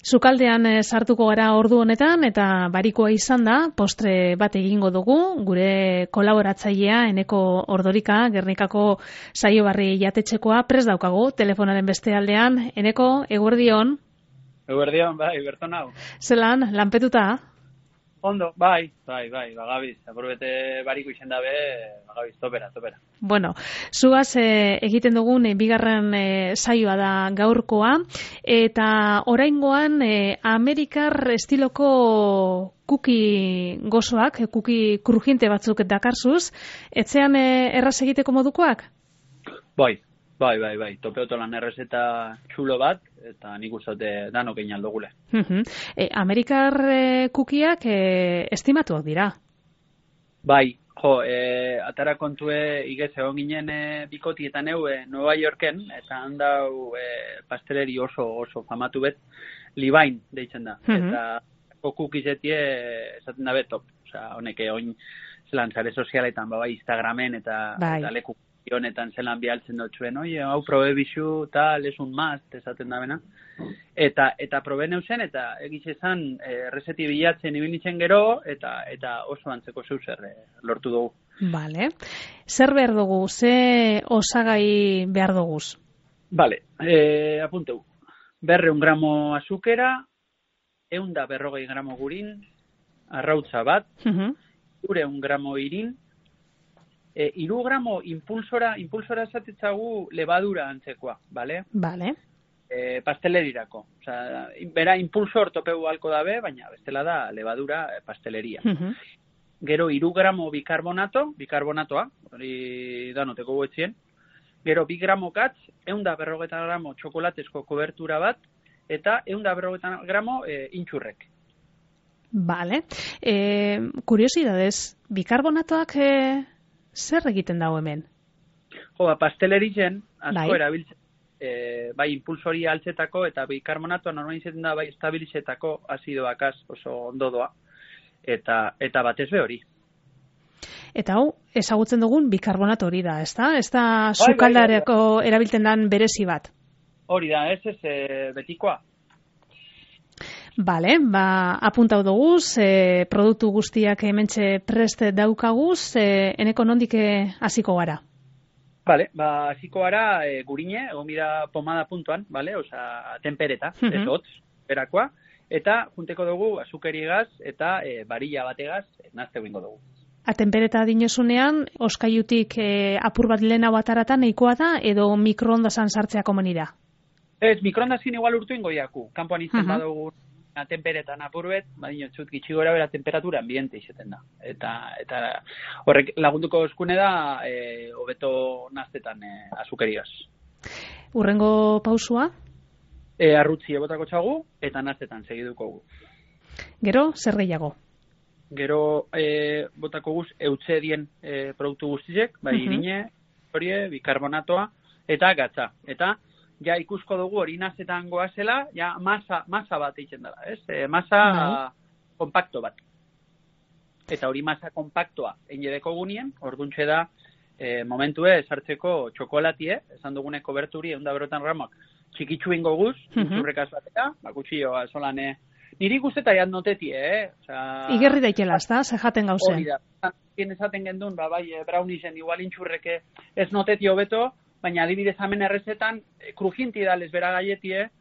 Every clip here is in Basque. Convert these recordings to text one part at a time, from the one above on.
Sukaldean sartuko gara ordu honetan eta barikoa izan da, postre bat egingo dugu, gure kolaboratzailea Eneko Ordorika, Gernikako Saiobarri jatetxekoa, prest daukagu, telefonaren beste aldean. Eneko, eguerdion? Eguerdion, bai, berton hau. Zelan, lanpetuta? Ondo, bai, bagabiz, apurbete bariko izen dabe, bagabiz, topera. Bueno, zugaz egiten dugun bigarren saioa da gaurkoa, eta oraingoan Amerikar estiloko kuki gozoak, kuki krujinte batzuk dakarzuz, etzean erraz egiteko modukoak? Bai, topeotolan errezeta txulo bat, eta nik uste danok egin aldogule. Amerikar kukiak estimatuak dira? Bai, atara kontue igez egon ginen bikotietan Nueva Yorken, eta handau pasteleri oso famatu bet, Libain deitzen da. Eta kukizetie esaten da betop. Osa, honek oin zelan zare sozialetan, bai, Instagramen eta leku honetan zelan bialtzen dutxuen, hau probe bizu, tal, esun maz, esaten da bena. Eta probe neuzen, eta egiz esan, errezeti bilatzen ibilitzen gero, eta oso antzeko zeuzer lortu dugu. Vale. Zer behar dugu? Ze osagai behar duguz? Vale, apunteu. 200 gramo azukera, 140 gramo gurin, arrautza bat, 200 gramo irin, 3 gramo impulsora esatetzagu levadura antzekoa, bale? Bale. Pastelerirako. Osea, bera impulsor topeu halko dabe, baina bestela da levadura pasteleria. Gero 3 gramo bikarbonatoa, hori danoteko guetzien. Gero 2 gramo katz, 150 gramo txokolatezko kobertura bat, eta 150 gramo intxurrek. Bale. Kuriosidadez, bikarbonatoak zer egiten dago hemen? Pastelerizen asko erabiltzen, bai impulsori altzetako eta bikarbonatoa normalizatzen da bai estabilizetako azidoakaz oso ondo doa. Eta batez be hori. Eta hau, ezagutzen dugun bikarbonato hori da, ezta? Ez da sukaldareko erabiltzen den berezi bat? Hori da, ez betikoa. Bale, apuntau duguz, produktu guztiak hementxe prest daukaguz, Eneko nondik hasiko gara? Bale, hasiko gara gurine, egon bira pomada puntuan, bale, oza, tempereta, ez hotz, berakoa, eta junteko dugu azukeriegaz eta barilla bategaz nazte bingo dugu. Tempereta dinosunean, oskaiutik apur bat lehenago ataratan nahikoa da, edo mikroondasan sartzea komenira? Ez, mikroondazin igual urtu ingo diaku, kanpoan izten badugu temperetan apurbet, badino txut gitxi gora bera temperatura ambiente izeten da. Eta horrek lagunduko eskune da hobeto naztetan azukeriaz. Urrengo pausua? Arrutzi ebotako txagu eta naztetan segiduko gu. Gero, zer gehiago? Gero botako guz eutxe dien produktu guztizek, bai irine, horie, bikarbonatoa eta gatza. Eta ja ikusko dugu hori nazetan goazela, ja masa bat eitzen dela, ez? Masa kompakto bat. Eta hori masa kompaktoa enjedeko gunien, orduntxe da momentue esartzeko txokolatie, esan dugune koberturi 150 gramoak txikitsu ingo guz, zurrekaz batera, bakutxioa solan niri guzteta jan noteti, Igerri daikela, ez da? Zejaten gauzen. Hori da, esaten gendun, bai, braunisen igual intxurreke ez noteti hobeto, baina adibidez hemen errezetan krujinti dales bera gaietie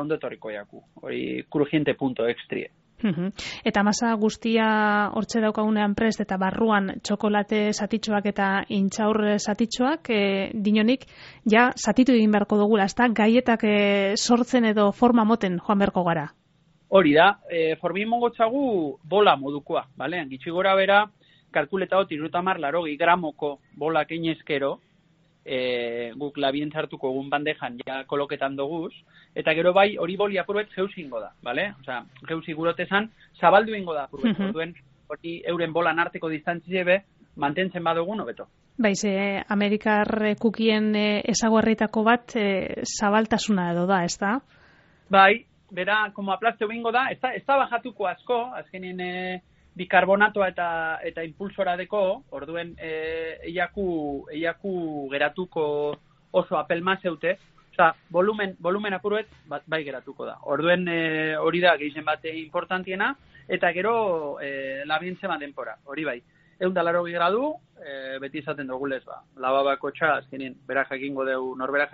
ondo etorriko jaku. Hori krujinte punto extrie. Eta masa guztia hortxe daukagunean prest eta barruan txokolate satitxoak eta intxaur satitxoak dinonik ja satitu egin beharko dugula, ezta gaietak sortzen edo forma moten joan beharko gara. Hori da, formin mongotzagu bola modukoa, bale? Gitxi gora bera, kalkuleta hoti 30 gramoko bolak einezkero, guk labien zartuko egun bandejan ja koloketan doguz, eta gero bai hori boli apurbet geuz ingo da, bale? Osea, geuz igurotezan, zabaldu ingo da apurbet, orduen hori euren bolan arteko distantzie be, mantentzen badugun hobeto. Baiz, Amerikar kukien ezaguarritako bat zabaltasuna edo da, ez da? Bai, bera, como aplasteu ingo da, ez da bajatuko asko, azkenien bikarbonatoa eta impulsora deko, orduen eiaku geratuko oso apelma zeute, Eta volumen apuruet bai geratuko da. Orduen hori da gehien bate importantiena, eta gero labientzema denpora, hori bai. 180 gradu, beti izaten dugulez, lababako txa, azkenien, norberak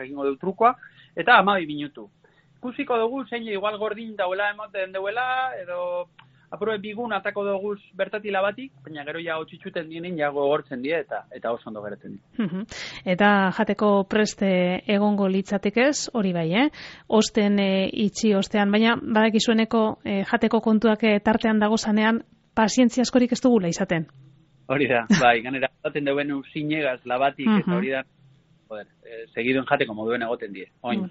jakingo deu trukoa, eta 12 minutu. Ikusiko dugu, zein igual gordin dauela emoten duela, edo apurue bigun atako dugu bertatila batik, baina gero ja hotxitxuten dienin ja gogortzen die, eta oso ondo geratzen die. Eta jateko preste egongo litzatekez, hori bai, osten itxi ostean, baina badakizueneko jateko kontuak tartean dago zanean, pazientzia askorik ez dugula izaten. Hori da, bai, ganera, zaten deuen usinegaz labatik, eta hori da, segiduen jateko moduen egoten die. Oin,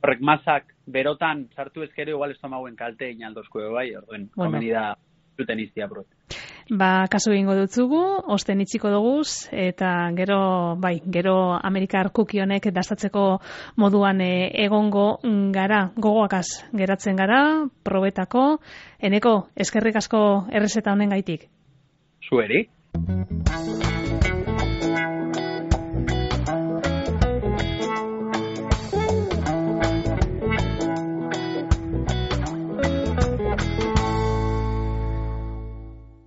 horrek mazak berotan sartu ezkero, igual estomaguen kalte inaldozko bai, orduen, komeni da zuten iztia brot. Kasu egingo dutzugu, osten itxiko duguz, eta gero Amerikar kuki honek dastatzeko moduan egongo gara, gogoakaz geratzen gara, probetako, Eneko, eskerrik asko errezeta honen gaitik. Zueri.